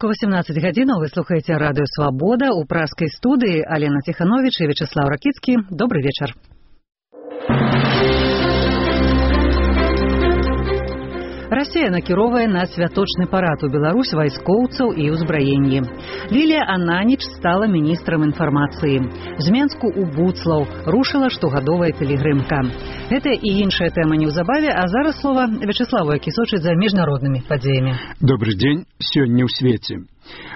Беларуску 18 гадзінаў. Вы слухаеце радыё «Свабода». У пражскай студыі Алена Тиханович і Вячеслав Ракіцкі. Добрый вечар. Расія накіровае на святочны парад у Беларусь вайскоўцаў і ўзбраенні. Лілія Ананіч стала міністрам інфармацыі. З Менску ў Буцлаў рушыла штогадовая пілігрымка. Гэта і іншая тэма неўзабаве, а зараз слова Вячеславу, які сочыць за міжнароднымі падзеямі. Добрый дзень. Сёння ў свеце.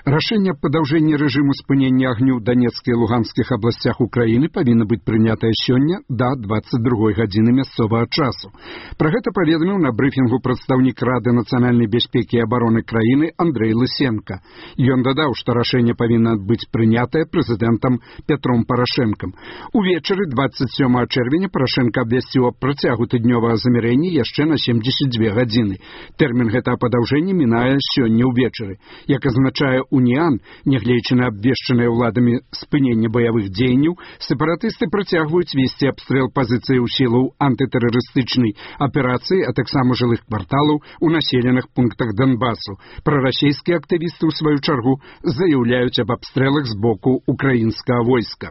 Рашэнне аб падаўжэнні рэжыму спынення агню ў Данецкай і Луганскіх абласцях Украіны павінна быць прынятае сёння да 22 гадзіны мясцовага часу. Пра гэта паведаміў на брыфінгу прадстаўнік Рады нацыянальнай бяспекі і абароны краіны Андрэй Лысенко. Ён дадаў, што рашэнне павінна быць прынятае прэзідэнтам Пятром Парашэнкам. Увечары 27 чэрвеня Парашэнка абвясціў аб працягу тыднёвага замірэння яшчэ на 72 гадзіны. Тэрмін гэтага падаўжэння мінае сёння ўвечары. Як азначае Уніан, нягледзячы на абвешчанае ўладамі спыненне баявых дзеянняў, сепаратысты працягваюць весці абстрэл пазіцыяў сілаў антытэрарыстычнай аперацыі, а таксама жылых кварталаў у населеных пунктах Донбасу. Прарасійскія актывісты, ў сваю чаргу, заяўляюць аб абстрэлах з боку украінскага войска.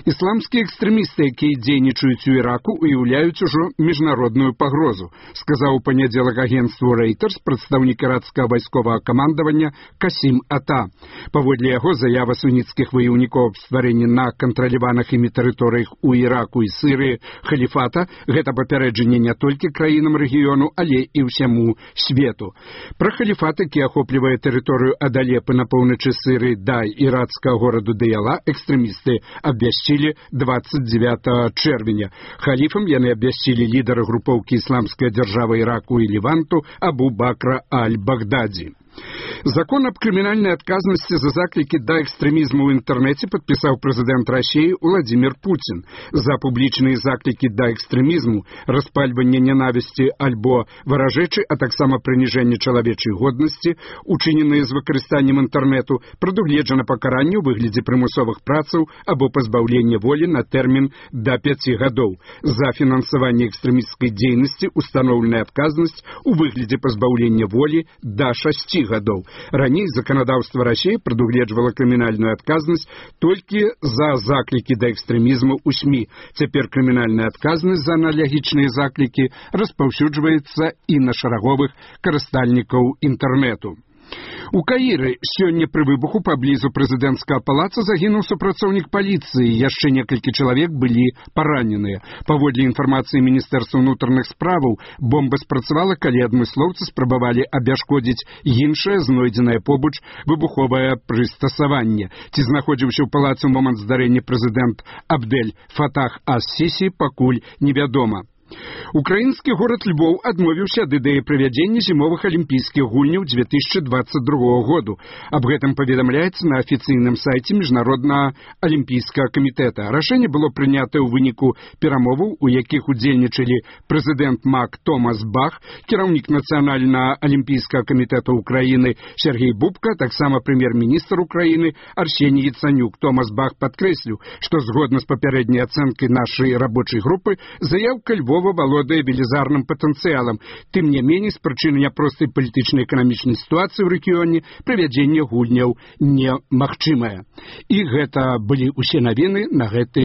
Ісламскія экстрэмісты, якія дзейнічаюць у Іраку, уяўляюць ужо міжнародную пагрозу, сказаў у панядзелак агенцтву Reuters прадстаўнік іракскага вайсковага камандавання Касім Ата. Паводле яго, заява суніцкіх ваяўнікоў аб стварэнні на кантраляваных імі тэрыторыях у Іраку і Сірыі халіфата гэта папярэджанне не толькі краінам рэгіёну, але і ўсяму свету. Пра халіфат, які ахоплівае тэрыторыю ад Алепы на поўначы Сірыі да іракскага гораду Дыяла, экстрэмісты абвясцілі 29 чэрвеня. Халіфам яны абвясцілі лідара групоўкі ісламская дзяржава Іраку і Леванту Абу Бакра аль-Багдадзі. Закон аб крымінальнай адказнасці за заклікі да экстрэмізму ў інтэрнэце падпісаў прэзідэнт Расіі Владзімір Пуцін. За публічныя заклікі да экстрэмізму, распальванне нянавісці альбо варажэчы, а таксама прыніжэнне чалавечай годнасці, учыненыя з выкарыстаннем інтэрнэту, прадугледжана пакаранне ў выглядзе прымусовых працаў або пазбаўлення волі на тэрмін да 5 гадоў. За фінансаванне экстрэмісцкай дзейнасці устаноўленая адказнасць у выглядзе пазбаўлення волі да 6 гадоў. Раней заканадаўства Расіі прадугледжвала крымінальную адказнасць толькі за заклікі да экстрэмізму ў СМІ. Цяпер крымінальная адказнасць за аналагічныя заклікі распаўсюджваецца і на шараговых карыстальнікаў інтэрнэту. У Каіры сёння пры выбуху паблізу прэзідэнцкага палаца загінуў супрацоўнік паліцыі, яшчэ некалькі чалавек былі параненыя. Паводле інфармацыі Міністэрства ўнутраных справаў, бомба спрацавала, калі адмыслоўцы спрабавалі абяшкодзіць іншае знойдзенае побач выбуховае прыстасаванне. Ці знаходзіўся ў палацы ў момант здарэння прэзідэнт Абдэль Фатах ас-Сісі, пакуль невядома. Украінскі горад Львоў адмовіўся ад ідэі правядзення зімовых алімпійскіх гульняў 2022 году. Аб гэтым паведамляецца на афіцыйным сайце Міжнароднага алімпійскага камітэта. Рашэнне было прынятае ў выніку перамоваў, у якіх удзельнічалі прэзідэнт МАК Томас Бах, кіраўнік Нацыянальнага алімпійскага камітэта Украіны Сергей Бубка, таксама прэм'ер-міністр Украіны Арсеній Яцанюк. Томас Бах падкрэсліў, што згодна з папярэдняй ацэнкай нашай рабочай групы, заяўка Львова валодае велізарным патэнцыялам. Тым не меней, з прычыны няпростай палітычна-эканамічнай сітуацыі ў рэгіёне правядзенне гульняў немагчымае. І гэта былі ўсе навіны на гэты